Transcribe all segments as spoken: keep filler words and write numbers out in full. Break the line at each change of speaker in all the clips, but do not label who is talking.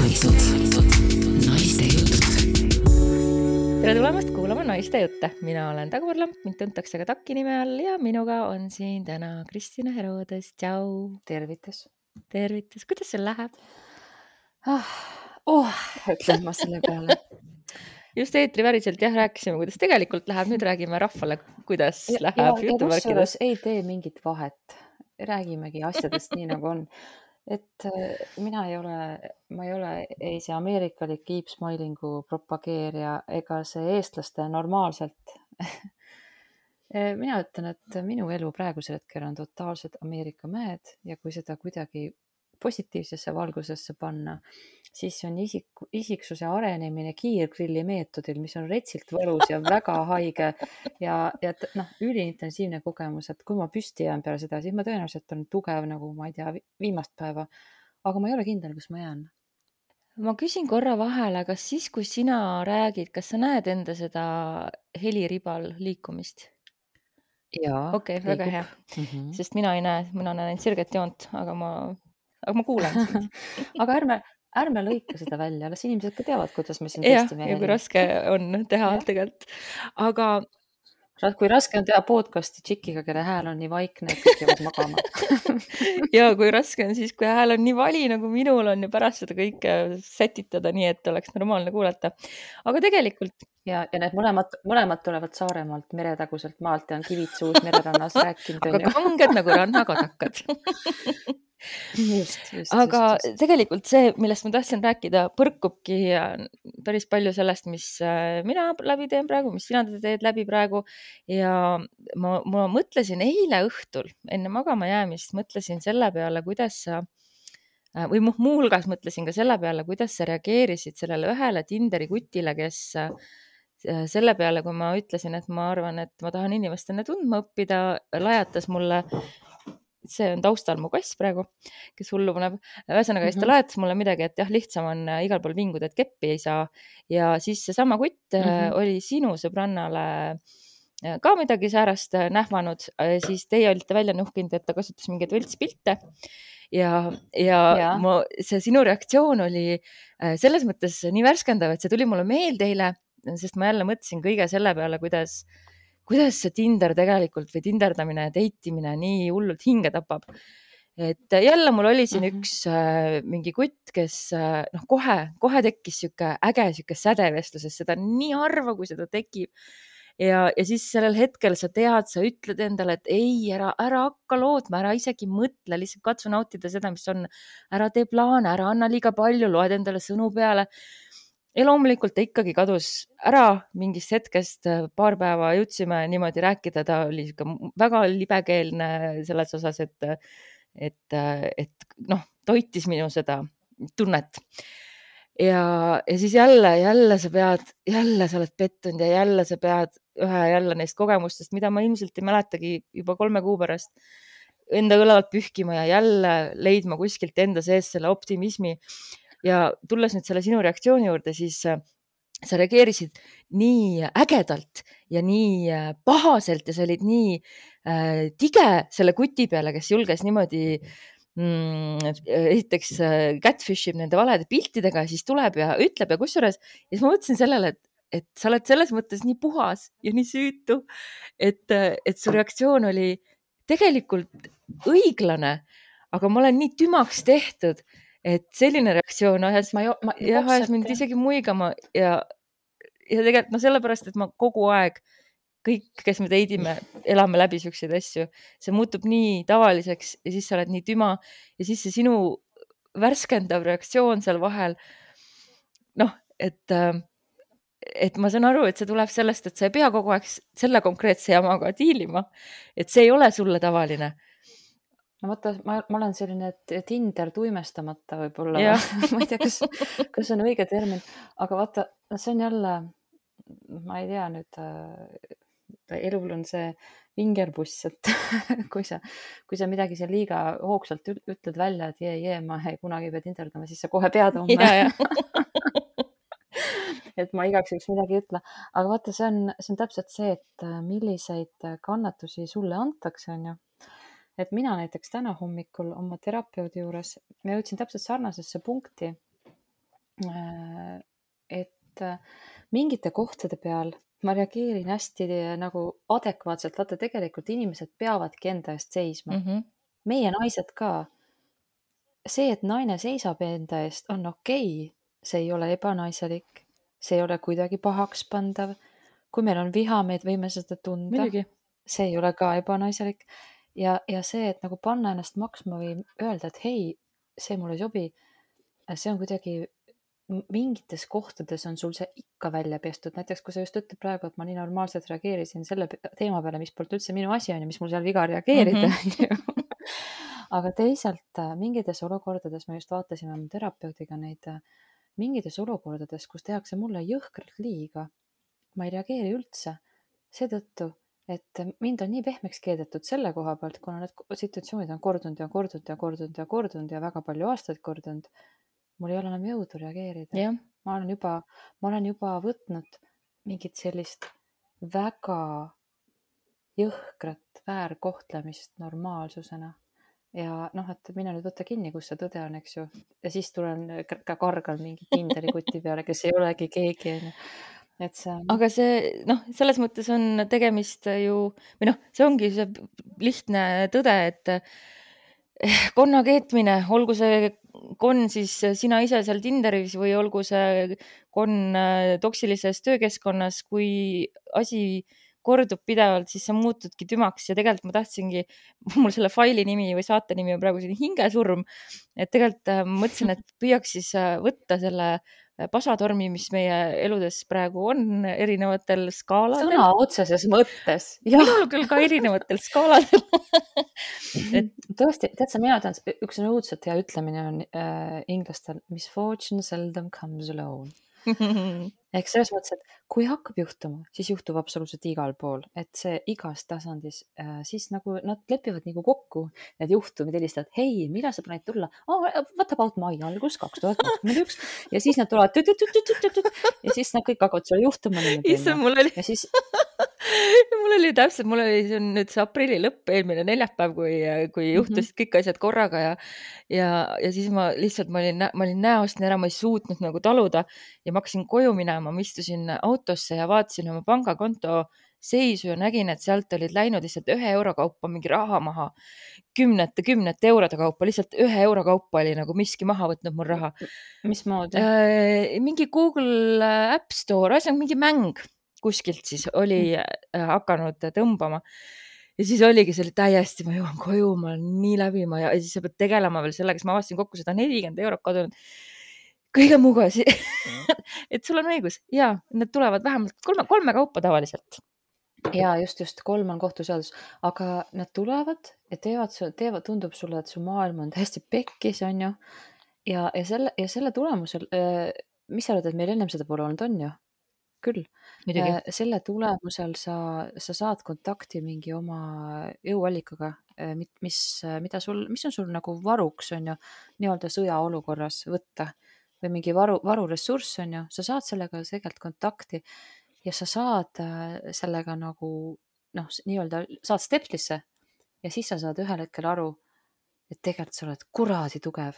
Naised. Naiste jutud.
Tere tulemast kuulama Naiste jutte. Mina olen Dagmar Lamp, mind tuntakse ka Taki nime all ja minuga on siin täna Kristina Herodes. Tšau.
Tervitus.
Tervitus. Kuidas sul läheb?
Ah, oh, ütlen ma selle peale.
Just eetriväriselt jah, rääkisime, kuidas tegelikult läheb. Nüüd räägime rahvale, kuidas
Ja,
läheb
ja, ja
jutumärkides.
kusjuures ei tee mingit vahet. Räägimegi asjadest nii nagu on. Et äh, mina ei ole, ma ei ole ei see ameerikalik keep smilingu propageerija ega see eestlaste normaalselt. Mina ütlen, et minu elu praegusel hetkel on totaalsed Ameerika mäed ja kui seda kuidagi positiivsesse valgusesse panna, siis on isik, isiksuse arenemine kiirgrilli meetodil, mis on retsilt võlus ja väga haige ja, ja t- noh, üliintensiivne kogemus, et kui ma püsti jään peale seda, siis ma tõenäoliselt on tugev nagu, ma ei tea, vi- viimast päeva, aga ma ei ole kindel, kus ma jään.
Ma küsin korra vahele, kas siis, kui sina räägid, kas sa näed enda seda heliribal liikumist?
Jaa,
Okei, väga
liigub.
hea.
Mhm.
Sest mina ei näe, mina näen ainult sirget joont, aga ma, aga ma kuulen sind.
Aga ärme, ärme lõika seda välja, las inimesed ka teavad, kuidas me siin
Jah,
testime
ja kui
heli.
raske on teha
Jah.
tegelikult. Aga
Ra- Kui raske on teha podcasti tšikiga, kelle hääl on nii vaikne, et kõik jäävad magama.
ja kui raske on siis, kui hääl on nii vali, nagu minul on ja pärast seda kõike sätitada nii, et oleks normaalne kuulata. Aga tegelikult,
Ja, ja need mõlemad, mõlemad tulevad Saaremaalt, meretaguselt maalt ja on kivid suus mererannas rääkinud.
aga
on ju.
kanged nagu rannakodakad.
Just, just,
Aga
just, just.
tegelikult see, millest ma tahtsin rääkida, põrkubki päris palju sellest, mis äh, mina läbi teen praegu, mis sina teed läbi praegu. Ja ma, ma mõtlesin eile õhtul, enne magama jäämist, mõtlesin selle peale, kuidas sa, äh, või mu- muuhulgas mõtlesin ka selle peale, kuidas sa reageerisid sellele ühele Tinderi kutile, kes äh, selle peale, kui ma ütlesin, et ma arvan, et ma tahan inimestena tundma õppida, lajatas mulle, see on taustal mu kass praegu, kes hullu paneb. Ühesõnaga, siis ta
Mhm.
lajatas mulle midagi, et jah, lihtsam on äh, igal pool vinguda, et keppi ei saa. Ja siis seesama kutt äh,
Mhm.
oli sinu sõbrannale äh, ka midagi säärast äh, nähvanud. Äh, Siis teie olite välja nuhkinud, et ta kasutas mingeid võltspilte. Ja, ja
Jaa.
ma, see sinu reaktsioon oli äh, selles mõttes nii värskendav, et see tuli mulle meelde eile, sest ma jälle mõtlesin kõige selle peale, kuidas, kuidas see Tinder tegelikult või tinderdamine ja deitimine nii hullult hinge tapab. Et jälle mul oli siin
Mhm.
üks äh, mingi kutt, kes äh, noh, kohe, kohe tekkis sihuke äge, sihuke säde vestluses, seda on nii harva, kui seda tekib. Ja, ja siis sellel hetkel sa tead, sa ütled endale, et ei, ära, ära hakka lootma, ära isegi mõtle, lihtsalt katsu nautida seda, mis on. Ära tee plaane, ära anna liiga palju, loed endale sõnu peale. Ja loomulikult ta ikkagi kadus ära mingist hetkest, paar päeva jõudsime niimoodi rääkida, ta oli sihuke väga libekeelne selles osas, et, et, et noh, toitis minu seda tunnet. Ja, ja siis jälle, jälle sa pead, jälle sa oled pettunud ja jälle sa pead ühe jälle neist kogemustest, mida ma ilmselt ei mäletagi juba kolme kuu pärast, enda õlalt pühkima ja jälle leidma kuskilt enda sees selle optimismi. Ja tulles nüüd selle sinu reaktsiooni juurde, siis äh, sa reageerisid nii ägedalt ja nii äh, pahaselt ja sa olid nii äh, tige selle kuti peale, kes julges niimoodi mm, esiteks äh, catfish ib nende valede piltidega ja siis tuleb ja ütleb ja kusjuures. Ja siis ma mõtlesin sellele, et, et sa oled selles mõttes nii puhas ja nii süütu, et, äh, et su reaktsioon oli tegelikult õiglane, aga ma olen nii tümaks tehtud, et selline reaktsioon ajas,
Ma jo- ma
jah, ajas
täpselt,
mind
jah.
isegi muigama ja, ja tegelikult no sellepärast, et ma kogu aeg, kõik, kes me teidime, elame läbi siukseid asju, see muutub nii tavaliseks ja siis sa oled nii tüma ja siis see sinu värskendav reaktsioon seal vahel, noh, et, äh, et ma saan aru, et see tuleb sellest, et sa ei pea kogu aeg s- selle konkreetse jamaga diilima, et see ei ole sulle tavaline.
no vaata, ma, ma olen selline t- Tinder tuimestamata võib-olla,
Jah.
ma ei tea, kas, kas see on õige termin, aga vaata, see on jälle, ma ei tea nüüd, äh, elul on see vingerbuss, et kui sa, kui sa midagi seal liiga hoogsalt ül- ütled välja, et jee, jee, ma ei kunagi ei pea tinderdama, siis sa kohe pead homme.
Ja, ja.
et ma igaks juhuks midagi ei ütle. Aga vaata, see on, see on täpselt see, et äh, milliseid kannatusi sulle antakse, on ju. Et mina näiteks täna hommikul oma terapeudi juures, ma jõudsin täpselt sarnasesse punkti, Äh, et äh, mingite kohtade peal ma reageerin hästi äh, nagu adekvaatselt. Vaata, tegelikult inimesed peavadki enda eest seisma.
mm . -hmm.
Meie naised ka. See, et naine seisab enda eest, on okei. See ei ole ebanaiselik. See ei ole kuidagi pahaks pandav. Kui meil on viha, me võime seda tunda.
muidugi .
See ei ole ka ebanaiselik. Ja, ja see, et nagu panna ennast maksma või öelda, et hei, see mulle ei sobi, see on kuidagi m- mingites kohtades on sul see ikka välja pestud. Näiteks, kui sa just ütled praegu, et ma nii normaalselt reageerisin selle pe- teema peale, mis polnud üldse minu asi on ja mis mul seal viga reageerida
Mhm.
on ju. Aga teisalt äh, mingites olukordades, me just vaatasime oma terapeudiga neid, äh, mingites olukordades, kus tehakse mulle jõhkralt liiga, ma ei reageeri üldse. Seetõttu, et mind on nii pehmeks keedetud selle koha pealt, kuna need ko- situatsioonid on kordunud ja kordunud ja kordunud ja kordunud ja väga palju aastaid kordunud, mul ei ole enam jõudu reageerida.
jah ,
Ma olen juba, ma olen juba võtnud mingit sellist väga jõhkrat väärkohtlemist normaalsusena. Ja noh, et mine nüüd võtta kinni, kus see tõde on, eks ju. Ja siis tulen ka ka kargan mingi Tinderi kuti peale, kes ei olegi keegi, on ju. Et see on,
aga see noh , selles mõttes on tegemist ju või noh , see ongi see lihtne tõde , et eh, konna keetmine , olgu see konn siis sina ise seal Tinderis või olgu see konn äh, toksilises töökeskkonnas , kui asi kordub pidevalt , siis sa muutudki tümaks ja tegelikult ma tahtsingi , mul selle faili nimi või saate nimi on praegu selline hingesurm , et tegelikult äh, ma mõtlesin , et püüaks siis äh, võtta selle äh, pasatormi , mis meie eludes praegu on erinevatel skaaladel ,
sõna otseses mõttes. Jah,
minul küll ka erinevatel skaaladel . et
tõesti, tead sa, mina tean, üks on õudselt hea ütlemine on äh, inglastel, misfortune seldom comes alone. Ehk selles mõttes, et kui hakkab juhtuma, siis juhtub absoluutselt igal pool, et see igas tasandis, äh, siis nagu nad lepivad nagu kokku need juhtumid, helistavad, hei, millal sa plaanid tulla? Oh, what about mai algus kaks tuhat kakskümmend üks ja siis nad tulevad tüt, tüt, tüt, tüt, tüt, tüt, ja siis nad kõik hakkavad sulle juhtuma niimoodi.
issand , mul oli ,
Ja siis
mul oli täpselt , mul oli , see on nüüd see aprilli lõpp , eelmine neljapäev , kui , kui juhtusid kõik asjad korraga ja ja , ja siis ma lihtsalt , ma olin , ma olin näost ära , ma ei suutnud nagu taluda ja ma hakkasin koju minema , ma istusin autosse ja vaatasin oma pangakonto seisu ja nägin , et sealt olid läinud lihtsalt ühe euro kaupa mingi raha maha , kümnete , kümnete eurode kaupa , lihtsalt ühe euro kaupa oli nagu miski maha võtnud mul raha .
mismoodi?
Äh, mingi Google App Store , ühesõnaga mingi mäng kuskilt siis oli äh, hakanud tõmbama ja siis oligi selle täiesti , ma jõuan koju , ma olen nii läbi , ma ja siis sa pead tegelema veel sellega , siis ma avastasin kokku seda nelikümmend eurot kadunud kõige muuga , et sul on õigus ja need tulevad vähemalt kolme , kolme kaupa tavaliselt .
Ja just, just kolm on kohtuseadus, aga nad tulevad ja teevad, teevad, tundub sulle, et su maailm on täiesti pekkis, on ju. Ja, ja selle, ja selle tulemusel, mis sa arvad, et meil ennem seda pole olnud, on ju? Küll.
Muidugi.
Selle tulemusel sa, sa saad kontakti mingi oma jõuallikaga, mis, mida sul, mis on sul nagu varuks, on ju, nii-öelda sõjaolukorras võtta või mingi varu, varuressurss, on ju, sa saad sellega tegelikult kontakti ja sa saad sellega nagu, noh, nii-öelda saad stepslisse ja siis sa saad ühel hetkel aru, et tegelikult sa oled kuradi tugev,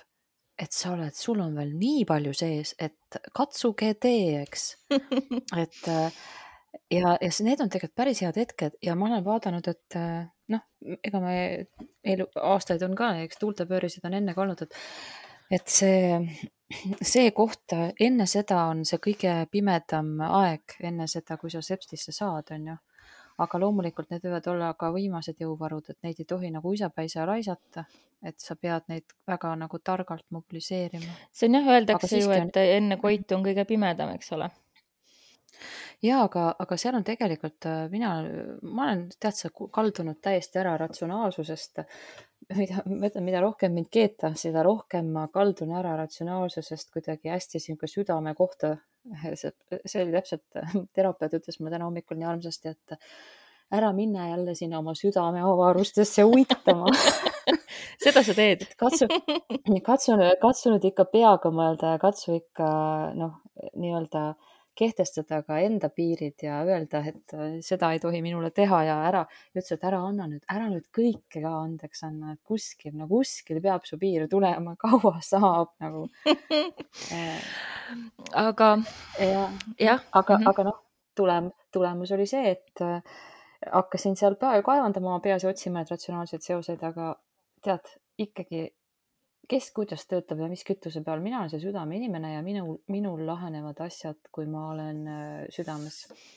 et sa oled, sul on veel nii palju sees, et katsuge tee, eks. et ja, ja need on tegelikult päris head hetked ja ma olen vaadanud, et noh, ega me elu, aastaid on ka, eks tuultepöörisid on enne ka olnud, et, et see, see koht enne seda on see kõige pimedam aeg enne seda, kui sa sepstlisse saad, on ju. Aga loomulikult need võivad olla ka viimased jõuvarud, et neid ei tohi nagu uisapäisa raisata, et sa pead neid väga nagu targalt mobiliseerima.
See on jah, öeldakse ju, et on... enne koitu on kõige pimedam, eks ole.
Ja, aga, aga seal on tegelikult, mina, ma olen tead sa kaldunud täiesti ära ratsionaalsusest, mida, mida rohkem mind keeta, seda rohkem ma kaldun ära ratsionaalsusest kuidagi hästi siin ka südame kohta. See, see oli täpselt, terapeut ütles mulle täna hommikul nii armsasti, et ära minna jälle sinna oma südame avarustesse uitama.
Seda sa teed.
Katsu, katsu, katsu nüüd ikka peaga mõelda ja katsu ikka, noh, nii-öelda kehtestada ka enda piirid ja öelda, et äh, seda ei tohi minule teha ja ära, ja ütles, et ära anna nüüd, ära nüüd kõike ka andeks anna, et kuskil, no kuskil peab su piir tulema, kaua saab nagu.
aga
ja,
jah,
aga,
mhm.
aga noh, tulem, tulemus oli see, et äh, hakkasin seal päev kaevandama oma peas ja otsima need ratsionaalsed seosed, aga tead, ikkagi kes kuidas töötab ja mis kütuse peal. Mina olen see südame inimene ja minul, minul lahenevad asjad, kui ma olen äh, südames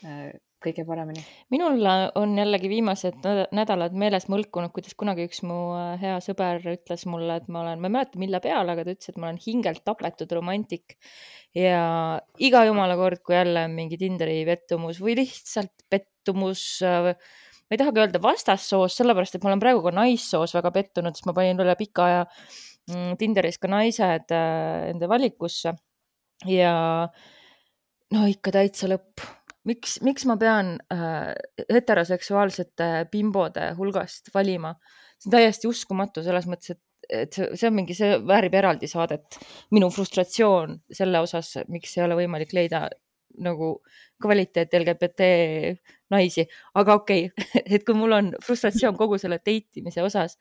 äh, kõige paremini.
Minul on jällegi viimased näd- nädalad meeles mõlkunud, kuidas kunagi üks mu äh, hea sõber ütles mulle, et ma olen, ma ei mäleta mille peale, aga ta ütles, et ma olen hingelt tapetud romantik ja iga jumala kord, kui jälle mingi Tinderi pettumus või lihtsalt pettumus, äh, ma ei tahagi öelda vastassoos, sellepärast, et ma olen praegu ka naissoos väga pettunud, sest ma panin üle pika aja mm, Tinderis ka naised äh, enda valikusse ja no ikka täitsa lõpp. Miks, miks ma pean äh, heteroseksuaalsete bimbode hulgast valima? See on täiesti uskumatu selles mõttes, et, et see, see on mingi, see väärib eraldi saadet. Minu frustratsioon selle osas, miks ei ole võimalik leida nagu kvaliteet L G B T naisi, aga okei, okay. Et kui mul on frustratsioon kogu selle teitimise osas,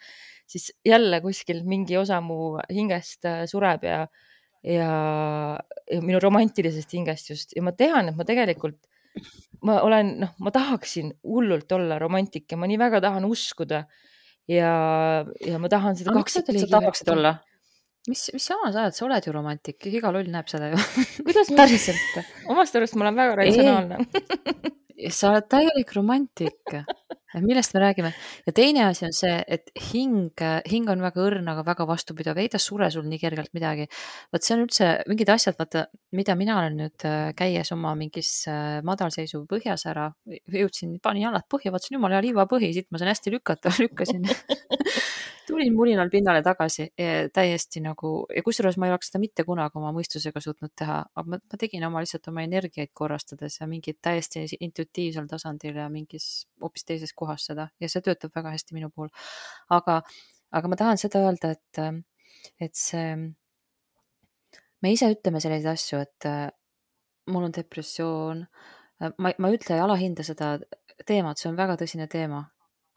siis jälle kuskil mingi osa mu hingest sureb ja, ja, ja minu romantilisest hingest just. Ja ma tean, et ma tegelikult, ma olen, noh, ma tahaksin hullult olla romantik ja ma nii väga tahan uskuda ja, ja ma tahan seda
Aga miks sa ütled, sa
kaksikpliigi
tahaksid
värki.
olla? Mis, mis sama sa oled, sa oled ju romantik, iga loll näeb seda ju.
Kuidas ma-
Päriselt.
Omast arust ma olen väga ratsionaalne.
Sa oled täielik romantik. Millest me räägime? Ja teine asi on see, et hing, hing on väga õrn, aga väga vastupidav. Ei ta sure sul nii kergelt midagi. Vaat see on üldse mingid asjad, vaata, mida mina olen nüüd äh, käies oma mingis äh, madalseisu põhjas ära, jõudsin, panin jalad põhja, vaatasin jumala hea liivapõhi, siit ma saan hästi lükata, lükkasin. Tulin mulinal pinnale tagasi ja täiesti nagu, ja kusjuures ma ei oleks seda mitte kunagi oma mõistusega suutnud teha, aga ma, ma tegin oma lihtsalt oma energiaid korrastades ja mingid täiesti intuitiivsel tasandil ja mingis hoopis teises kohas seda ja see töötab väga hästi minu puhul. Aga, aga ma tahan seda öelda, et, et see, me ise ütleme selliseid asju, et mul on depressioon, ma, ma ütle ja alahinda seda teemat, see on väga tõsine teema.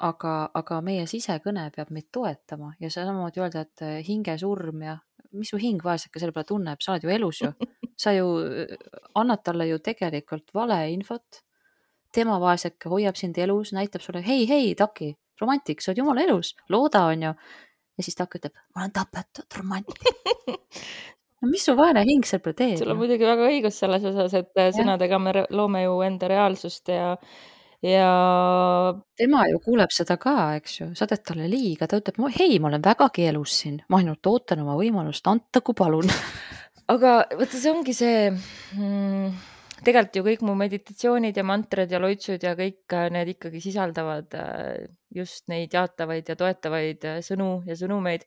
Aga, aga meie sisekõne peab meid toetama ja samamoodi öelda, et hingesurm ja mis su hing vaeseke selle peale tunneb, sa oled ju elus ju. Sa ju annad talle ju tegelikult vale infot. Tema vaeseke hoiab sind elus, näitab sulle, hei, hei, Taki, romantik, sa oled jumala elus, looda on ju. Ja siis Taki ütleb, ma olen tapetud romantik. No mis su vaene hing selle peale teeb?
Sul on muidugi väga õigus selles osas, et ja. Sõnadega me loome ju enda reaalsust ja ja
tema ju kuuleb seda ka, eks ju, sa teed talle liiga, ta ütleb, hei, ma olen vägagi elus siin, ma ainult ootan oma võimalust, antagu palun.
Aga võtta, see ongi see, mm, tegelikult ju kõik mu meditatsioonid ja mantrad ja loitsud ja kõik need ikkagi sisaldavad just neid jaatavaid ja toetavaid sõnu ja sõnumeid,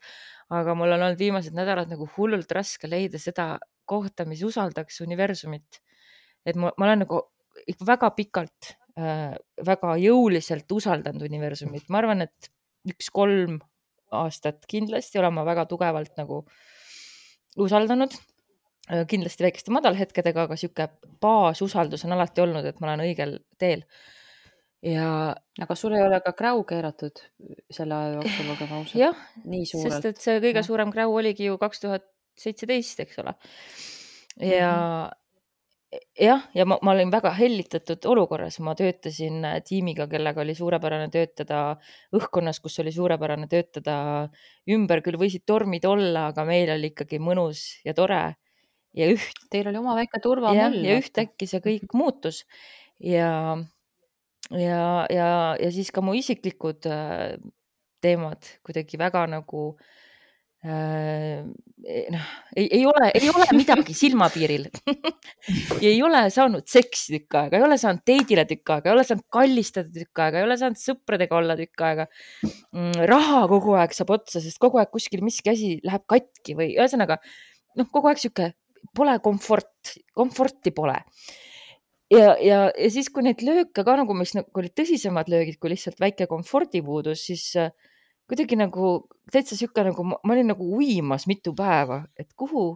aga mul on olnud viimased nädalad nagu hullult raske leida seda kohta, mis usaldaks universumit. Et ma, ma olen nagu ikka väga pikalt väga jõuliselt usaldanud universumit. Ma arvan, et üks kolm aastat kindlasti olen ma väga tugevalt nagu usaldanud. Kindlasti väikeste madalhetkedega, aga siuke baasusaldus on alati olnud, et ma olen õigel teel. Ja...
Aga sul ei ole ka kräu keeratud selle aja jooksul, olgem ausad?
Jah,
nii suurelt.
sest et see kõige ja. suurem kräu oligi ju kaks tuhat seitseteist, eks ole. Ja mm-hmm. Jah, ja ma, ma olin väga hellitatud olukorras, ma töötasin tiimiga, kellega oli suurepärane töötada õhkkonnas, kus oli suurepärane töötada ümber, küll võisid tormid olla, aga meil oli ikkagi mõnus ja tore ja üht.
Teil oli oma väike turvamõll.
Ja, ja ühtäkki see kõik muutus ja, ja, ja, ja siis ka mu isiklikud teemad kuidagi väga nagu Äh, noh, ei, ei, ole, ei ole midagi silmapiiril ja ei ole saanud seksi tükk aega, ei ole saanud teidile tükk aega, ei ole saanud kallistada tükk aega, ei ole saanud sõpradega olla tükk aega. Raha kogu aeg saab otsa, sest kogu aeg kuskil miski asi läheb katki või ühesõnaga, noh, kogu aeg siuke pole komfort, komforti pole. Ja, ja, ja siis, kui neid lööke ka nagu, mis nagu olid tõsisemad löögid, kui lihtsalt väike komfordipuudus, siis kuidagi nagu täitsa siuke nagu, ma olin nagu uimas mitu päeva, et kuhu,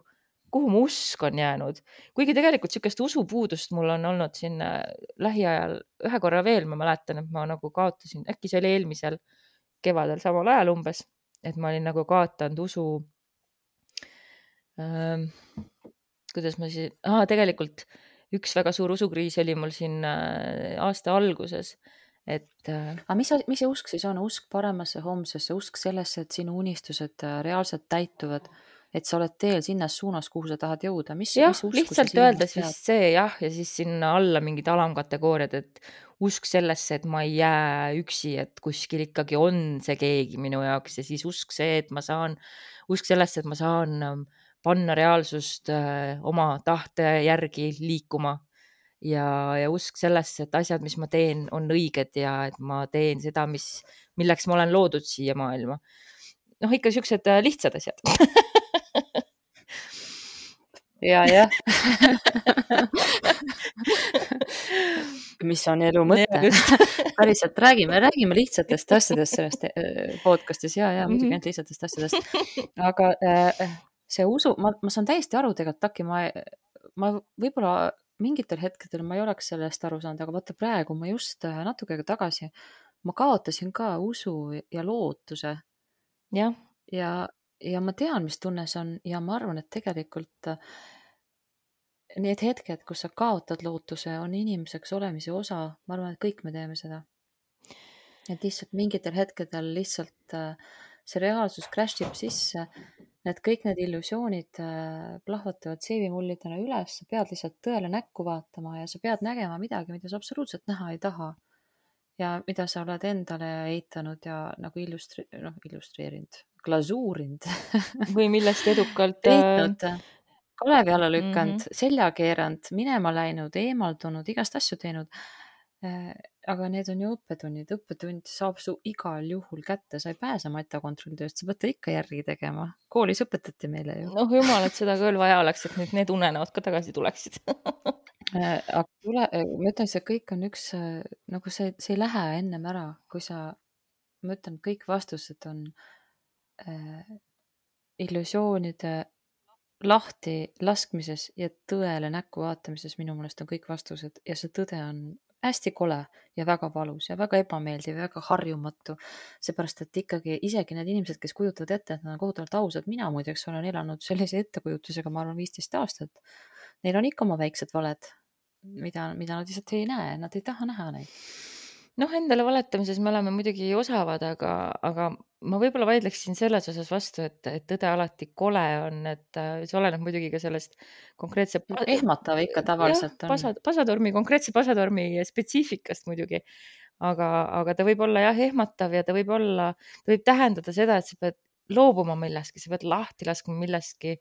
kuhu mu usk on jäänud. Kuigi tegelikult sükest usupuudust mul on olnud siin äh, lähiajal ühe korra veel, ma mäletan, et ma nagu kaotasin, äkki see oli eelmisel kevadel samal ajal umbes, et ma olin nagu kaotanud usu. Ähm, kuidas ma siis, ah, tegelikult üks väga suur usukriis oli mul siin äh, aasta alguses, et äh,
aga mis, mis see usk siis on? Usk paremasse homsesse, usk sellesse, et sinu unistused äh, reaalselt täituvad, et sa oled teel sinnas suunas, kuhu sa tahad jõuda. Mis,
jah,
mis usku sa
lihtsalt
silmas
öeldes
pead?
vist see jah, ja siis sinna alla mingid alamkategooriad, et usk sellesse, et ma ei jää üksi, et kuskil ikkagi on see keegi minu jaoks ja siis usk see, et ma saan, usk sellesse, et ma saan ähm, panna reaalsust äh, oma tahte järgi liikuma ja, ja usk sellesse, et asjad, mis ma teen, on õiged ja et ma teen seda, mis, milleks ma olen loodud siia maailma. noh, ikka siuksed äh, lihtsad asjad.
ja, jah. mis on elu mõte? päriselt räägime, räägime lihtsatest asjadest sellest äh, podcastis ja, ja muidugi ainult lihtsatest asjadest. Aga äh, see usu, ma, ma saan täiesti aru tegelikult, Taki, ma, ma võib-olla mingitel hetkedel ma ei oleks sellest aru saanud, aga vaata praegu ma just äh, natuke aega tagasi, ma kaotasin ka usu ja lootuse.
jah.
ja, ja ma tean, mis tunne see on ja ma arvan, et tegelikult äh, need hetked, kus sa kaotad lootuse, on inimeseks olemise osa. Ma arvan, et kõik me teeme seda. Et lihtsalt mingitel hetkedel lihtsalt äh, see reaalsus crashib sisse, need kõik need illusioonid äh, plahvatavad seevimullidena üles, sa pead lihtsalt tõele näkku vaatama ja sa pead nägema midagi, mida sa absoluutselt näha ei taha. Ja mida sa oled endale eitanud ja nagu illustri- noh, illustreerinud, glasuurinud.
või millest edukalt
peitnud, kalevi alla lükanud,
Mhm.
selja keeranud, minema läinud, eemaldunud, igast asju teinud. Äh, Aga need on ju õppetunnid, õppetund saab su igal juhul kätte, sa ei pääse matakontrollitööst, sa pead ta ikka järgi tegema. Koolis õpetati meile ju.
noh, jumal, et seda küll vaja oleks, et nüüd need unenäod ka tagasi tuleksid.
Äh, Aga tule, ma ütlen, see kõik on üks, äh, nagu see, see ei lähe ennem ära, kui sa, ma ütlen, kõik vastused on äh, illusioonide lahti laskmises ja tõele näkku vaatamises. Minu meelest on kõik vastused ja see tõde on hästi kole ja väga valus ja väga ebameeldiv ja väga harjumatu. Seepärast, et ikkagi isegi need inimesed, kes kujutavad ette, et nad on kohutavalt ausad, mina muideks olen elanud sellise ettekujutusega, ma arvan, viisteist aastat. Neil on ikka oma väiksed valed, mida, mida nad lihtsalt ei näe, nad ei taha näha neid.
noh, endale valetamises me oleme muidugi osavad, aga, aga ma võib-olla vaidleksin selles osas vastu, et, et tõde alati kole on, et äh, see oleneb muidugi ka sellest konkreetse pa-
Ehmatav ikka
jah,
tavaliselt on.
pasa, pasatormi, konkreetse pasatormi spetsiifikast muidugi. Aga, aga ta võib olla jah ehmatav ja ta võib olla, ta võib tähendada seda, et sa pead loobuma millestki, sa pead lahti laskma millestki,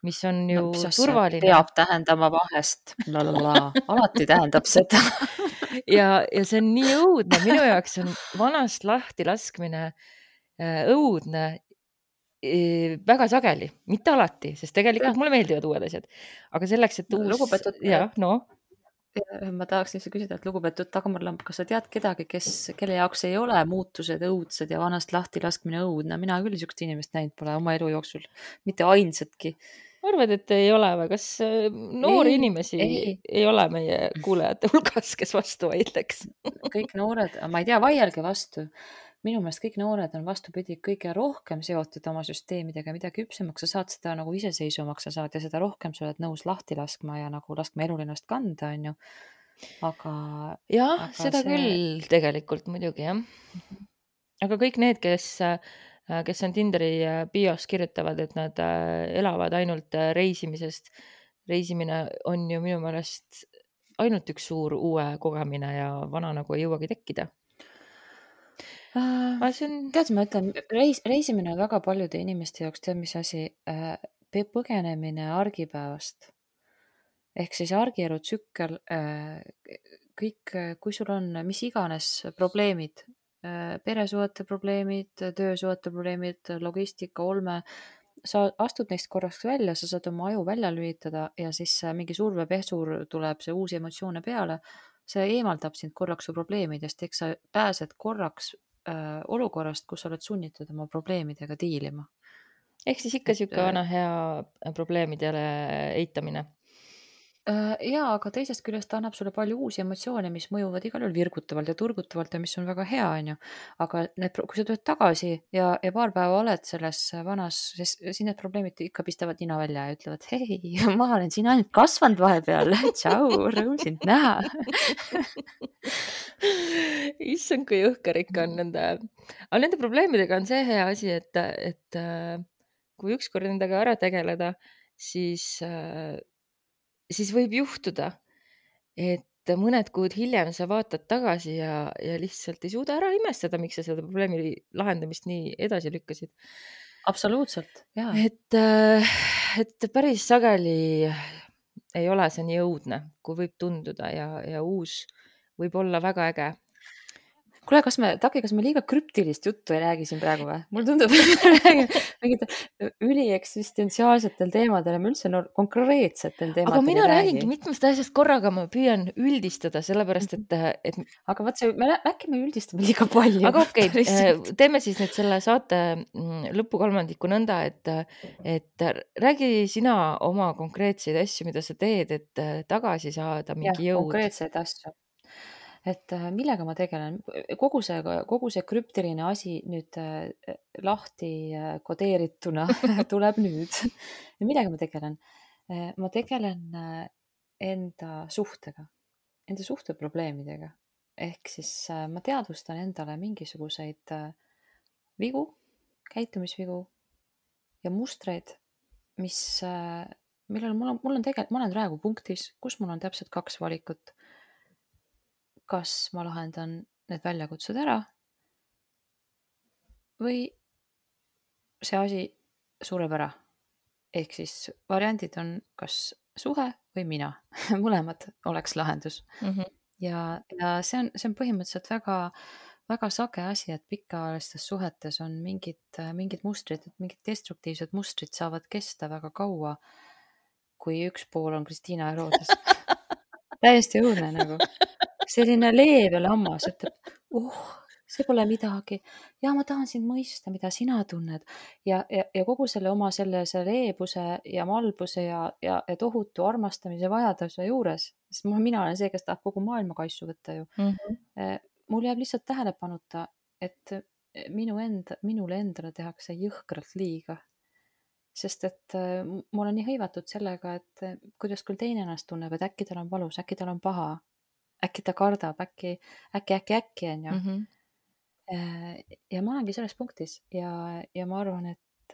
mis on ju
No, mis asja
turvaline.
peab tähendama vahest. Lalala. Alati tähendab seda.
ja, ja see on nii õudne, minu jaoks on vanast lahti laskmine äh, õudne äh, väga sageli, mitte alati, sest tegelikult
Jah.
mulle meeldivad uued asjad. Aga selleks, et
No,
uus,
lugupeetud-
jah, no,
Ja ma tahaksin lihtsalt küsida, et lugupeetud Dagmar Lamp, kas sa tead kedagi, kes, kelle jaoks ei ole muutused õudsed ja vanast lahti laskmine õudne? Mina küll niisugust inimest näinud pole oma elu jooksul, mitte ainsatki.
arvad, et ei ole või? Kas äh, noori
Ei,
inimesi ei.
ei.
ei ole meie kuulajate hulgas, kes vastu vaidleks?
Kõik noored, ma ei tea, vaielge vastu. Minu meelest kõik noored on vastupidi kõige rohkem seotud oma süsteemidega, mida küpsemaks sa saad, seda nagu iseseisvumaks sa saad ja seda rohkem sa oled nõus lahti laskma ja nagu laskma elul ennast kanda, on ju. Aga
jah,
Aga
seda
see-
küll tegelikult muidugi jah. aga kõik need, kes, äh, kes on Tinderi äh, bios kirjutavad, et nad äh, elavad ainult äh, reisimisest. reisimine on ju minu meelest ainult üks suur uue kogemine ja vana nagu ei jõuagi tekkida. aga see on,
tead, ma ütlen, reis, reisimine on väga paljude inimeste jaoks, tead mis asi, äh, põgenemine argipäevast. Ehk siis argielu tsükkel, äh, kõik, äh, kui sul on mis iganes probleemid, äh, peresuhete probleemid, töösuhete probleemid, logistika, olme, sa astud neist korraks välja, sa saad oma aju välja lülitada ja siis äh, mingi survepesur tuleb, see uusi emotsioone peale, see eemaldab sind korraks su probleemidest, eks sa pääsed korraks äh, olukorrast, kus sa oled sunnitud oma probleemidega diilima.
ehk siis ikka
et
sihuke vana hea probleemidele eitamine.
äh, jaa, aga teisest küljest ta annab sulle palju uusi emotsioone, mis mõjuvad igal juhul virgutavalt ja turgutavalt ja mis on väga hea, on ju. Aga need, kui sa tuled tagasi ja, ja paar päeva oled selles vanas, siis, siis need probleemid ikka pistavad nina välja ja ütlevad, hei, ma olen siin ainult kasvanud vahepeal. Tšau, rõõm sind näha.
Issand, kui jõhker ikka on nende, aga nende probleemidega on see hea asi, et, et äh, kui ükskord nendega ära tegeleda, siis, äh, siis võib juhtuda, et mõned kuud hiljem sa vaatad tagasi ja, ja lihtsalt ei suuda ära imestada, miks sa seda probleemi lahendamist nii edasi lükkasid.
Absoluutselt, jaa.
Et, äh, et päris sageli ei ole see nii õudne, kui võib tunduda ja, ja uus võib olla väga äge.
Kuule, kas me, Taki, kas me liiga krüptilist juttu ei räägi siin praegu või? Mul tundub, et me räägime mingite ülieksistentsiaalsetel teemadel ja me üldse no, konkreetsetel teemadel
aga mina
ei
räägingi
räägi.
mitmest asjast korraga, ma püüan üldistada, sellepärast et, et...
Aga vaat see, me, äkki me üldistame liiga palju.
Aga okei, okay, teeme siis nüüd selle saate lõpukolmandiku nõnda, et, et räägi sina oma konkreetseid asju, mida sa teed, et tagasi saada mingi
ja,
jõud.
Konkreetseid asju. Et millega ma tegelen, kogu see, kogu see krüptiline asi nüüd lahti kodeerituna tuleb nüüd. Ja millega ma tegelen? Ma tegelen enda suhtega, enda suhteprobleemidega. Ehk siis ma teadvustan endale mingisuguseid vigu, käitumisvigu ja mustreid, mis, millel mul on, mul on tegelikult, ma olen praegu punktis, kus mul on täpselt kaks valikut. Kas ma lahendan need väljakutsed ära või see asi sureb ära. Ehk siis variandid on kas suhe või mina. Mõlemad oleks lahendus.
Mm-hmm.
Ja, ja see on, see on põhimõtteliselt väga, väga sage asi, et pikaajalistes suhetes on mingid, mingid mustrid, mingid destruktiivsed mustrid saavad kesta väga kaua, kui üks pool on Kristiina Herodes. Täiesti õudne nagu. Selline leebe lammas ütleb, oh, see pole midagi. Ja ma tahan sind mõista, mida sina tunned. Ja, ja, ja kogu selle oma selle, selle leebuse ja malbuse ja, ja, ja tohutu armastamise vajaduse juures, sest mina olen see, kes tahab kogu maailma kaisu võtta ju.
Mm-hmm.
Mul jääb lihtsalt tähelepanuta, et minu enda, minule endale tehakse jõhkralt liiga. Sest et ma olen nii hõivatud sellega, et kuidas küll teine ennast tunneb, et äkki tal on valus, äkki tal on paha. Äkki ta kardab, äkki, äkki, äkki, äkki on ju. Mm-hmm. Ja ma olengi selles punktis ja, ja ma arvan, et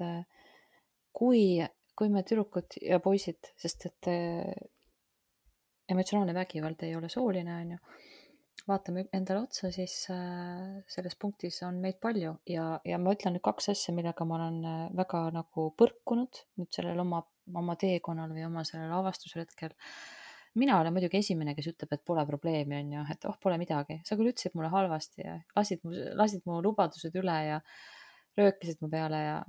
kui, kui me tüdrukud ja poisid, sest et emotsionaalne vägivald ei ole sooline, on ju, vaatame endale otsa, siis selles punktis on meid palju ja, ja ma ütlen nüüd kaks asja, millega ma olen väga nagu põrkunud nüüd sellel oma, oma teekonnal või oma sellel avastusretkel. Mina olen muidugi esimene, kes ütleb, et pole probleemi, on ju, et oh, pole midagi. Sa küll ütlesid mulle halvasti ja lasid mu, lasid mu lubadused üle ja röökisid mu peale ja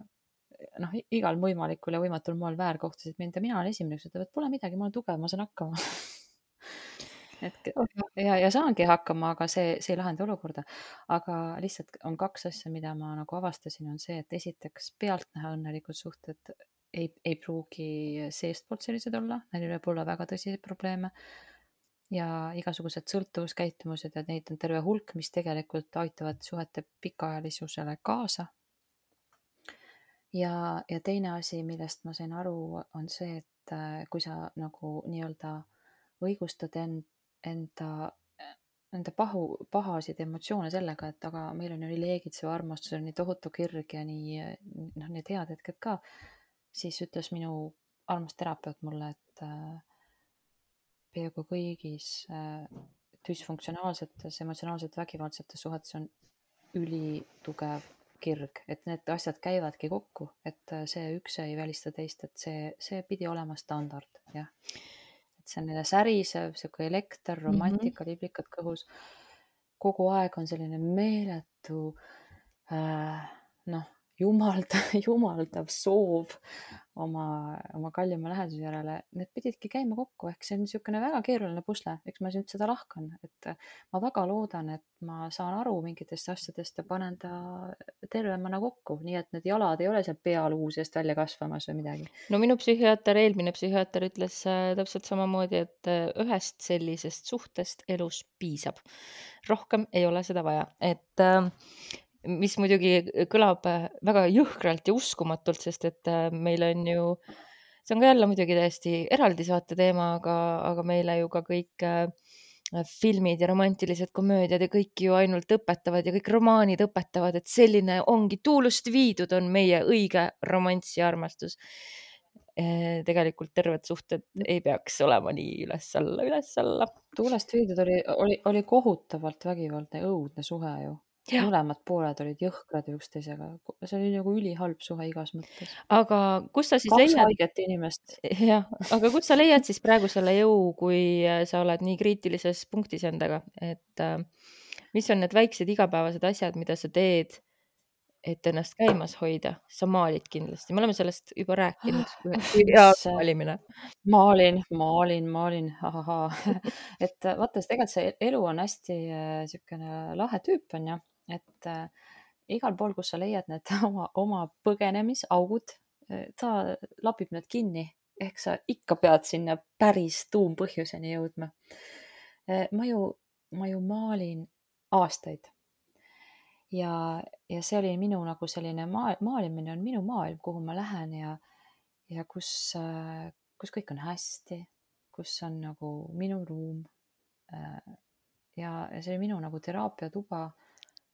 noh, igal võimalikul ja võimatul moel väärkohtasid mind ja mina olen esimene, kes ütleb, et pole midagi, ma olen tugev, ma saan hakkama. et, ja, ja saangi hakkama, aga see, see ei lahenda olukorda. Aga lihtsalt on kaks asja, mida ma nagu avastasin, on see, et esiteks pealtnäha õnnelikud suhted Ei, ei pruugi seestpoolt sellised olla, neil võib olla väga tõsiseid probleeme ja igasugused sõltuvuskäitumused ja neid on terve hulk, mis tegelikult aitavad suhete pikaajalisusele kaasa. Ja, ja teine asi, millest ma sain aru, on see, et kui sa nagu nii-öelda õigustad end, enda, enda pahu, pahasid emotsioone sellega, et aga meil on ju nii leegitsev armastus, nii tohutu kirg ja nii, noh, need head hetked ka, siis ütles minu armas terapeut mulle, et äh, peaaegu kõigis äh, düsfunktsionaalsetes, emotsionaalselt vägivaldsetes suhetes on ülitugev kirg, et need asjad käivadki kokku, et see üks ei välista teist, et see, see pidi olema standard, jah. Et see on neile särisev, siuke elekter, romantika, mm-hmm. liblikad kõhus. Kogu aeg on selline meeletu äh, noh, jumaldav, jumaldav soov oma, oma kallima läheduse järele, need pididki käima kokku, ehk see on niisugune väga keeruline pusle, eks ma nüüd seda lahkan, et ma väga loodan, et ma saan aru mingitest asjadest ja panen ta tervemana kokku, nii et need jalad ei ole seal pealuu seest välja kasvamas või midagi.
no minu psühhiaater, eelmine psühhiaater ütles äh, täpselt samamoodi, et äh, ühest sellisest suhtest elus piisab. Rohkem ei ole seda vaja, et äh, mis muidugi kõlab äh, väga jõhkralt ja uskumatult, sest et äh, meil on ju, see on ka jälle muidugi täiesti eraldi saate teema, aga, aga meile ju ka kõik äh, filmid ja romantilised komöödiad ja kõik ju ainult õpetavad ja kõik romaanid õpetavad, et selline ongi tuulust viidud, on meie õige romanss ja armastus. Eh, Tegelikult terved suhted ei peaks olema nii üles-alla, üles-alla.
Tuulest viidud oli, oli, oli kohutavalt vägivaldne, õudne suhe ju.
Jah.
Mõlemad pooled olid jõhkrad üksteisega. See oli nagu ülihalb suhe igas mõttes.
Aga kus sa siis
Kaks
leiad,
haiget inimest.
jah, aga kus sa leiad siis praegu selle jõu, kui äh, sa oled nii kriitilises punktis endaga, et äh, mis on need väiksed igapäevased asjad, mida sa teed, et ennast käimas hoida? Sa maalid kindlasti, me oleme sellest juba rääkinud, kui hea
Mis, äh,
maalimine.
Maalin, maalin, maalin, ahahaa. et äh, vaata, siis tegelikult see elu on hästi äh, siukene lahe tüüp on ju, et äh, igal pool, kus sa leiad need oma, oma põgenemisaugud, äh, ta lapib need kinni, ehk sa ikka pead sinna päris tuumpõhjuseni jõudma. Äh, ma ju, ma ju maalin aastaid ja, ja see oli minu nagu selline maa, maalimine on minu maailm, kuhu ma lähen ja, ja kus, äh, kus kõik on hästi, kus on nagu minu ruum. Äh, ja, ja see oli minu nagu teraapiatuba,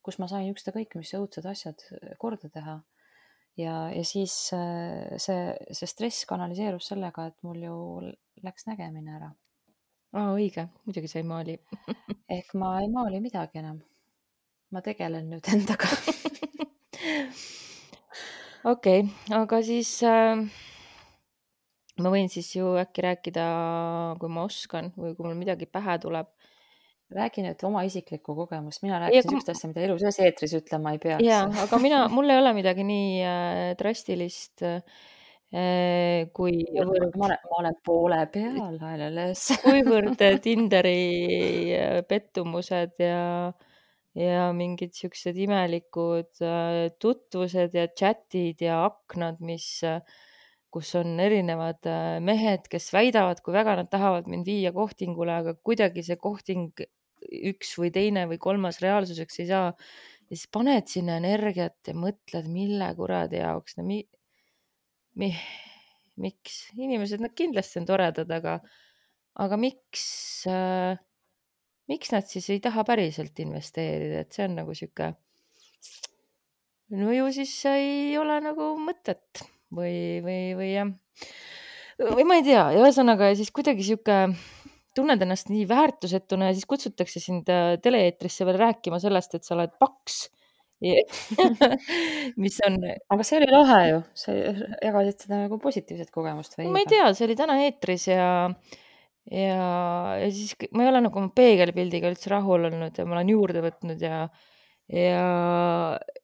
kus ma sain ükskõik mis õudsed asjad korda teha. Ja, ja siis äh, see, see stress kanaliseerus sellega, et mul ju läks nägemine ära.
Aa, õige, muidugi sa ei maali.
Ehk ma ei maali midagi enam. Ma tegelen nüüd endaga.
Okei, aga siis äh, ma võin siis ju äkki rääkida, kui ma oskan või kui mul midagi pähe tuleb.
Räägi nüüd oma isiklikku kogemust. Mina
Ja
rääkisin
kui-
sükst asja, mida elu sees eetris ütlema ei peaks.
Jaa, aga mina, mul ei ole midagi nii äh, drastilist äh, kui
ma, ma, olen, ma olen poole peal hääleles.
kuivõrd Tinderi äh, pettumused ja, ja mingid siuksed imelikud äh, tutvused ja chatid ja aknad, mis, äh, kus on erinevad äh, mehed, kes väidavad, kui väga nad tahavad mind viia kohtingule, aga kuidagi see kohting üks või teine või kolmas reaalsuseks ei saa. Ja siis paned sinna energiat ja mõtled, mille kuradi jaoks, no mi, mi, miks? Inimesed, nad kindlasti on toredad, aga, aga miks, äh, miks nad siis ei taha päriselt investeerida, et see on nagu sihuke, no ju siis ei ole nagu mõtet või, või, või jah. Või ma ei tea, ja ühesõnaga ja siis kuidagi sihuke tunned ennast nii väärtusetuna ja siis kutsutakse sind äh, tele-eetrisse veel rääkima sellest, et sa oled paks. mis on,
Aga see oli lahe ju. Sa jagasid seda nagu positiivset kogemust või?
ma ei tea, see oli täna eetris ja, ja, ja siis k- ma ei ole nagu oma peegelpildiga üldse rahul olnud ja ma olen juurde võtnud ja, ja,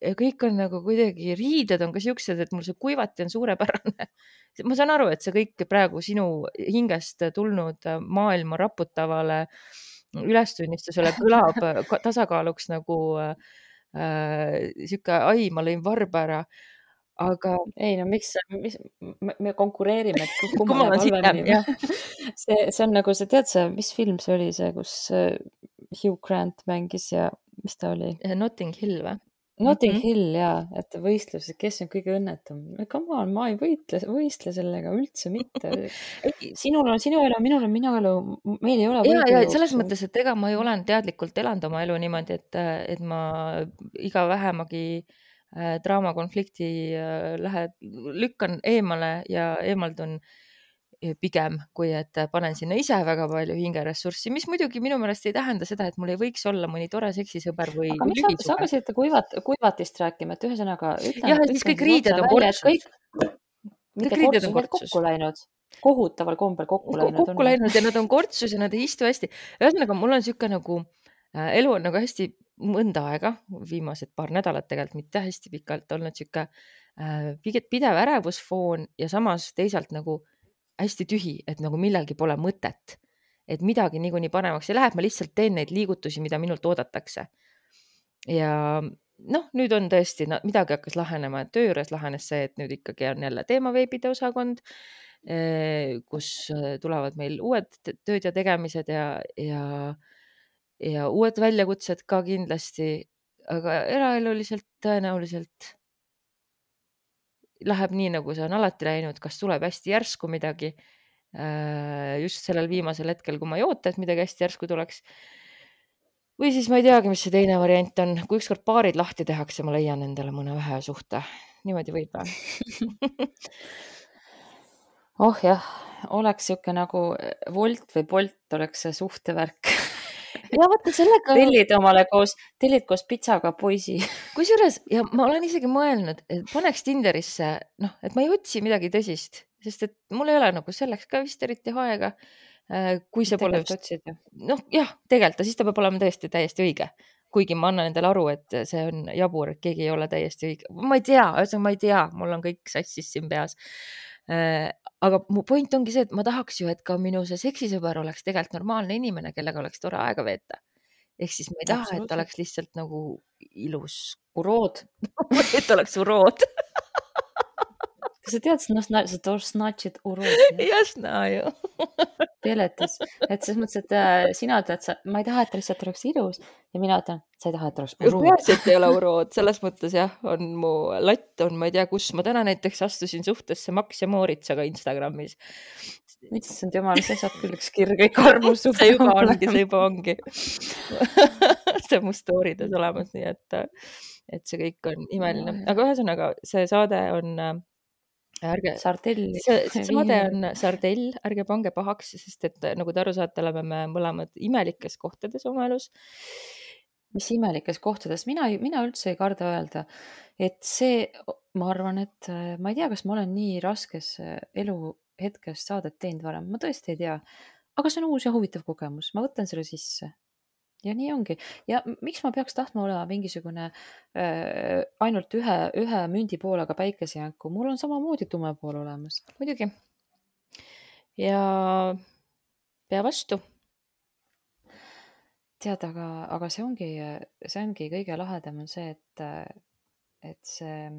ja kõik on nagu kuidagi, riided on ka siuksed, et mul see kuivati on suurepärane. Ma saan aru, et see kõik praegu sinu hingest tulnud maailma raputavale ülestunnistusele kõlab ka- tasakaaluks nagu äh, sihuke, ai, ma lõin varba ära, aga
Ei no miks, mis, me, me konkureerime, et kummal
kummal on
läheb
sitem,
halvemini.
jah.
see, see on nagu see, tead sa, mis film see oli see, kus äh, Hugh Grant mängis ja mis ta oli?
Notting Hill või?
Notting
Mhm.
Hill jaa, et võistluses, kes on kõige õnnetum. Come on, ma ei võitle, võistle sellega üldse mitte. Sinul on sinu elu, minul on minu elu, meil ei ole
Ja, ja
võidujooksu.
selles mõttes, et ega ma ju olen teadlikult elanud oma elu niimoodi, et, et ma iga vähemagi äh, draamakonflikti äh, lähe, lükkan eemale ja eemaldun eh, pigem, kui et panen sinna ise väga palju hingeressurssi, mis muidugi minu meelest ei tähenda seda, et mul ei võiks olla mõni tore seksisõber või,
Aga
või
mis sa, sa
lühisuhe.
hakkasid kuivat, kuivatist rääkima, et ühesõnaga ütlen,
Jah, ja siis
ütlen
kõik riided
otse
on
välja, et
kortsus.
kõik, mitte
Kõik riided
kortsus,
on
vaid
kortsus.
kokku läinud. Kohutaval kombel kokku
Ko-
läinud.
kokku läinud ja nad on kortsus ja nad ei istu hästi. Ühesõnaga, mul on sihuke nagu äh, elu on nagu hästi mõnda aega, viimased paar nädalat tegelikult mitte hästi pikalt olnud sihuke äh, pigem pidev ärevusfoon ja samas teisalt nagu hästi tühi, et nagu millelgi pole mõtet, et midagi niikuinii paremaks ei lähe, ma lihtsalt teen neid liigutusi, mida minult oodatakse. Ja noh, nüüd on tõesti, no, midagi hakkas lahenema, et töö juures lahenes see, et nüüd ikkagi on jälle teemaveebide osakond, eh, kus eh, tulevad meil uued t- tööd ja tegemised ja, ja, ja uued väljakutsed ka kindlasti, aga eraeluliselt tõenäoliselt läheb nii, nagu see on alati läinud, kas tuleb hästi järsku midagi, äh, just sellel viimasel hetkel, kui ma ei oota, et midagi hästi järsku tuleks. Või siis ma ei teagi, mis see teine variant on. Kui ükskord paarid lahti tehakse, ma leian endale mõne ühe suhte. Niimoodi võib või?
oh jah, oleks sihuke nagu Wolt või Bolt oleks see suhtevärk.
Ja vaata sellega...
tellid omale koos, tellid koos pitsaga poisi.
Kusjuures, ja ma olen isegi mõelnud, et paneks Tinderisse, noh, et ma ei otsi midagi tõsist, sest et mul ei ole nagu selleks ka vist eriti aega. Äh, Kui see pole
Tegelikult
just...
otsid ju.
noh, jah, tegelikult, siis ta peab olema tõesti täiesti õige. Kuigi ma annan endale aru, et see on jabur, et keegi ei ole täiesti õige. Ma ei tea, ühesõnaga ma ei tea, mul on kõik sassis siin peas. Äh, Aga mu point ongi see, et ma tahaks ju, et ka minu see seksisõber oleks tegelikult normaalne inimene, kellega oleks tore aega veeta. Ehk siis ma ei taha, et
Absoluutselt.
ta oleks lihtsalt nagu ilus,
Urood.
et ta oleks urood.
Kas sa tead, no, sa тоже значит urood
Jasna ju.
Peletis. Et selles mõttes, et äh, sina ütled, sa, ma ei taha, et ta lihtsalt oleks ilus ja mina ütlen, sa ei taha, et ta oleks urood.
Peaasi, et ei ole urood. Selles mõttes jah, on mu latt on, ma ei tea, kus ma täna näiteks astusin suhtesse Max ja Mooritsaga Instagramis.
Issand jumal, see saab küll üks kirg, kõik armus suhte.
See juba ongi, see juba ongi. see mu storydes olemas, nii et, et see kõik on imeline. Aga ühesõnaga, see saade on äh, ärge,
Sardelli.
see, see saade on sardell, ärge pange pahaks, sest et nagu te aru saate, oleme me mõlemad imelikes kohtades oma elus.
Mis imelikes kohtades, mina, mina üldse ei karda öelda, et see, ma arvan, et ma ei tea, kas ma olen nii raskes elu hetkes saadet teinud varem, ma tõesti ei tea, aga see on uus ja huvitav kogemus, ma võtan selle sisse. Ja nii ongi. Ja miks ma peaks tahtma olema mingisugune äh, ainult ühe, ühe mündi poolega päikesejänku? Mul on samamoodi tume pool olemas.
Muidugi. Ja pea vastu.
Tead, aga, aga see ongi, see ongi kõige lahedam on see, et, et see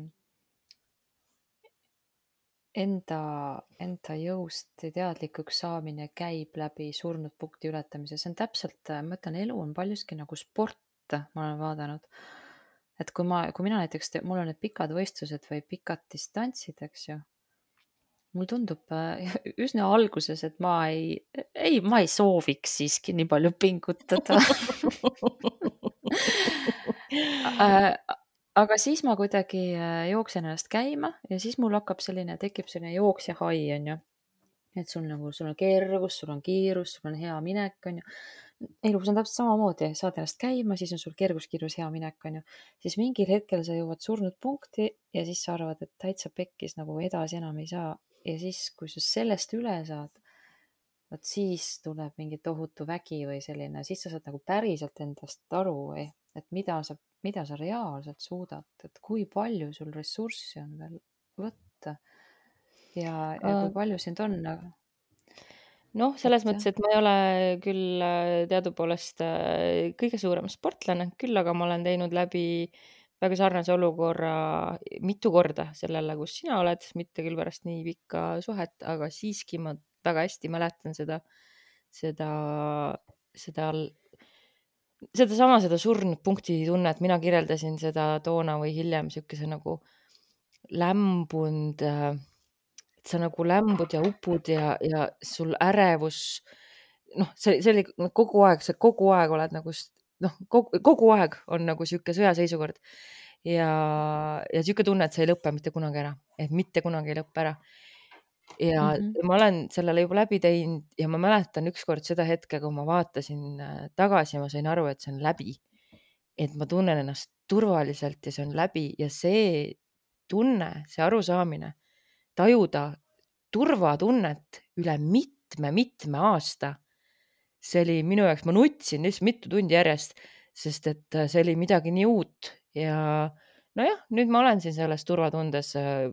enda, enda jõust teadlikuks saamine käib läbi surnud punkti ületamise. See on täpselt, ma ütlen, elu on paljuski nagu sport, ma olen vaadanud. Et kui ma, kui mina näiteks, te, mul on need pikad võistlused või pikad distantsid, eks ju, mul tundub üsna alguses, et ma ei, ei, ma ei sooviks siiski nii palju pingutada. Aga siis ma kuidagi jooksen ennast käima ja siis mul hakkab selline, tekib selline jooksja hai, on ju. Et sul, nagu, sul on kergus, sul on kiirus, sul on hea minek, on ju. Elus on täpselt samamoodi, saad ennast käima, siis on sul kergus, kiirus, hea minek, on ju. Siis mingil hetkel sa jõuad surnud punkti ja siis sa arvad, et täitsa pekkis nagu edasi enam ei saa. Ja siis, kui sa sellest üle saad, võt siis tuleb mingi tohutu vägi või selline, siis sa saad nagu päriselt endast aru, et mida sa, mida sa reaalselt suudad, et kui palju sul ressurssi on veel võtta ja, ja kui palju sind on.
Noh, selles et, mõttes, et ma ei ole küll teadupoolest kõige suurem sportlane, küll aga ma olen teinud läbi väga sarnase olukorra mitu korda sellele, kus sina oled, mitte küll pärast nii pikka suhet, aga siiski ma väga hästi mäletan seda, seda, seda, seda sama, seda surnud punkti tunnet, mina kirjeldasin seda toona või hiljem siukese nagu lämbund, et sa nagu lämbud ja upud ja, ja sul ärevus, noh, see, see oli kogu aeg, sa kogu aeg oled nagu, noh, kogu, kogu aeg on nagu siuke sõjaseisukord ja, ja siuke tunne, et see ei lõppe mitte kunagi ära, et mitte kunagi ei lõppe ära. Ja mm-hmm. ma olen sellele juba läbi teinud ja ma mäletan ükskord seda hetke, kui ma vaatasin tagasi ja ma sain aru, et see on läbi. Et ma tunnen ennast turvaliselt ja see on läbi ja see tunne, see arusaamine, tajuda turvatunnet üle mitme, mitme aasta. See oli minu jaoks, ma nutsin lihtsalt mitu tundi järjest. sest et äh, see oli midagi nii uut ja nojah, nüüd ma olen siin selles turvatundes. äh,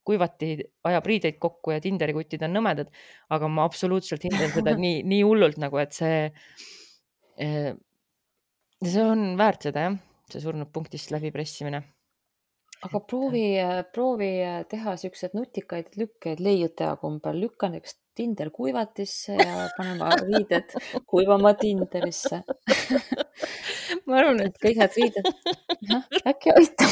kuivati ajab riideid kokku ja Tinderi kutid on nõmedad, aga ma absoluutselt hindan seda nii, nii hullult nagu, et see, eh, see on väärt seda jah, see surnud punktist läbipressimine.
aga proovi, proovi teha siuksed nutikaid lükkeid leiutaja kombel, lükka näiteks Tinder kuivatisse ja panema riided kuivama Tinderisse.
ma arvan,
et
et
kõik need riided, jah, äkki aitab.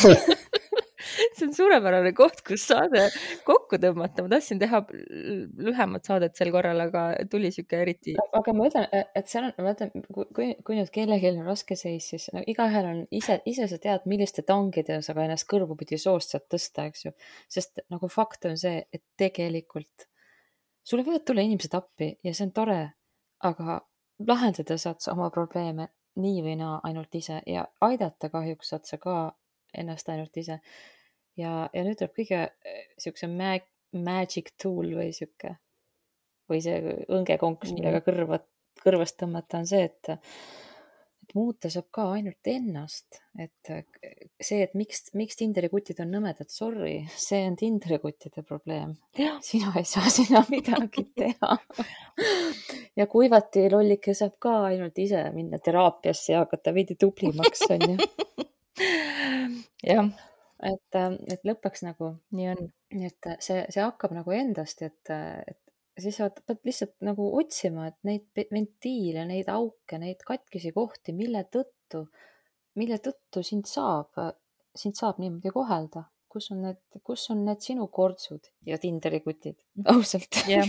see on suurepärane koht, kus saade kokku tõmmata. Ma tahtsin teha l- lühemat saadet sel korral, aga tuli siuke eriti.
aga ma ütlen, et seal on, ma ütlen, kui, kui nüüd kellelgi on raske seis, siis no, igaühel on ise, ise sa tead, milliste tangide sa ka ennast kõrvupidi soost saad tõsta, eks ju. Sest nagu fakt on see, et tegelikult sulle võivad tulla inimesed appi ja see on tore, aga lahendada saad sa oma probleeme nii või naa ainult ise ja aidata kahjuks saad sa ka ennast ainult ise. Ja, ja nüüd tuleb kõige siukse mag, magic tool või siuke, või see õngekonks, millega kõrva, kõrvast tõmmata on see, et, et muuta saab ka ainult ennast. Et see, et miks, miks Tinderi kutid on nõmedad, sorry, see on Tinderi kuttide probleem. Sina ei saa sinna midagi teha. Ja kuivati lollike saab ka ainult ise minna teraapiasse ja hakata veidi tublimaks, on ju.
jah,
et, et lõpuks nagu,
nii on.
et see, see hakkab nagu endast, et, et siis sa pead lihtsalt nagu otsima, et neid ventiile, neid auke, neid katkisi kohti, mille tõttu, mille tõttu sind saab, sind saab niimoodi kohelda. Kus on need, kus on need sinu kortsud ja Tinderi kutid, ausalt.
Yeah.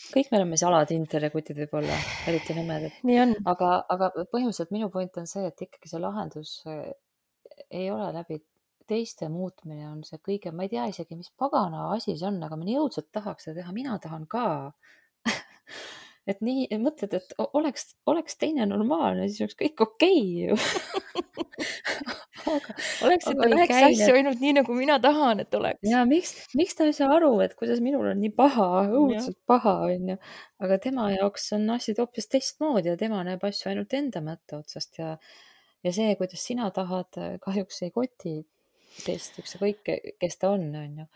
Kõik me oleme sala Tinderi kutid võib-olla, eriti nõmedad.
nii on.
Aga, aga põhimõtteliselt minu point on see, et ikkagi see lahendus ei ole läbi teiste muutmine on see kõige, ma ei tea isegi, mis pagana asi see on, aga ma nii õudselt tahaks seda teha, mina tahan ka. et nii, mõtled, et oleks, oleks teine normaalne, siis oleks kõik okei ju. aga,
oleksite väheks asju ainult nii, nagu mina tahan, et oleks.
Ja miks, miks ta ei saa aru, et kuidas minul on nii paha, õudselt ja. paha, on ju. Aga tema jaoks on asjad hoopis teistmoodi ja tema näeb asju ainult enda mõtte otsast ja, ja see, kuidas sina tahad, kahjuks ei koti teist, ükskõik, kes ta on, on ju.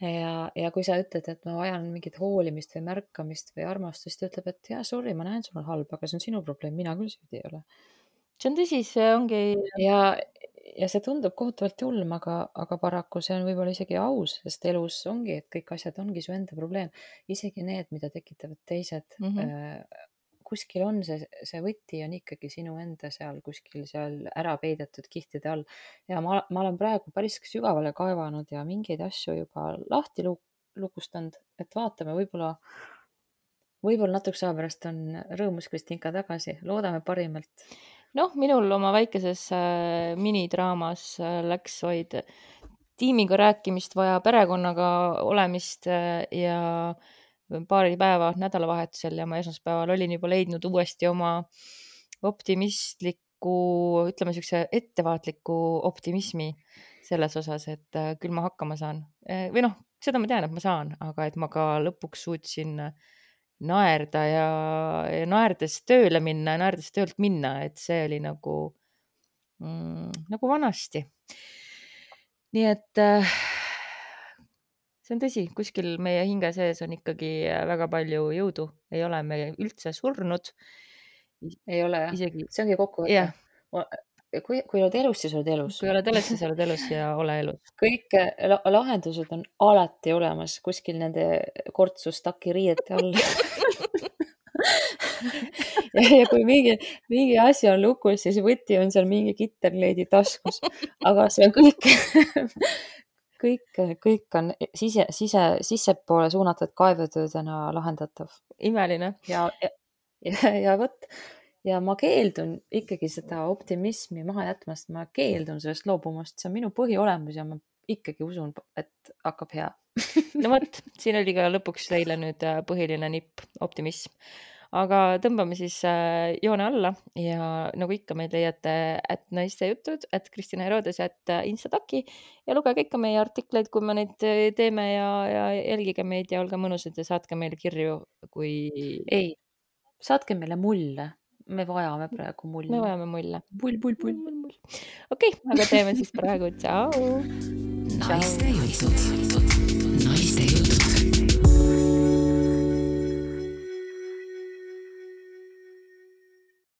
Ja, ja kui sa ütled, et ma vajan mingit hoolimist või märkamist või armastust, ta ütleb, et jah, sorry, ma näen, sul on halb, aga see on sinu probleem, mina küll süüdi ei ole.
See on tõsi, see ongi.
Ja, ja see tundub kohutavalt julm, aga, aga paraku see on võib-olla isegi aus, sest elus ongi, et kõik asjad ongi su enda probleem. Isegi need, mida tekitavad teised, mm -hmm. kuskil on see, see võti on ikkagi sinu enda seal, kuskil seal ära peidetud kihtide all. Ja ma, ma olen praegu päris sügavale kaevanud ja mingeid asju juba lahti lukustanud, et vaatame, võib-olla, võib-olla natuke aja pärast on rõõmus Kristinka tagasi, loodame parimalt.
Noh, minul oma väikeses äh, minidraamas äh, läks vaid tiimiga rääkimist vaja, perekonnaga olemist äh, ja paari päeva nädalavahetusel ja ma esmaspäeval olin juba leidnud uuesti oma optimistliku, ütleme siukse ettevaatliku optimismi selles osas, et äh, küll ma hakkama saan. Või noh, seda ma tean, et ma saan, aga et ma ka lõpuks suutsin naerda ja, ja naerdes tööle minna, naerdes töölt minna, et see oli nagu, mm, nagu vanasti. Nii et äh, see on tõsi, kuskil meie hinge sees on ikkagi väga palju jõudu, ei ole me üldse surnud.
Ei ole jah, isegi... see ongi kokkuvõte yeah.. Kui, kui oled elus, siis oled elus.
Kui oled elus, siis oled elus ja ole elus.
Kõik lahendused on alati olemas kuskil nende kortsustaki riiete all. ja, ja kui mingi, mingi asi on lukus, siis võti on seal mingi kitterleidi taskus. Aga see on kõik, kõik, kõik on sise, sise, sissepoole suunatud kaevetöödena lahendatav.
Imeline.
Ja, ja, ja, ja võt. Ja ma keeldun ikkagi seda optimismi maha jätmast, ma keeldun sellest loobumast, see on minu põhiolemus ja ma ikkagi usun, et hakkab hea.
no vot, siin oli ka lõpuks teile nüüd põhiline nipp, optimism. Aga tõmbame siis joone alla ja nagu ikka meid leiate at naiste jutud, at Kristina Herodes, at Instataki ja lugege ikka meie artikleid, kui me neid teeme ja, ja jälgige meid ja olge mõnusad ja saatke meile kirju, kui...
Ei, saatke meile mulle. me vajame praegu
me
mulli.
vajame mulle.
Pull, pull, pull.
okei, aga teeme siis praegu, tšau.
naiste jutud, naiste jutud.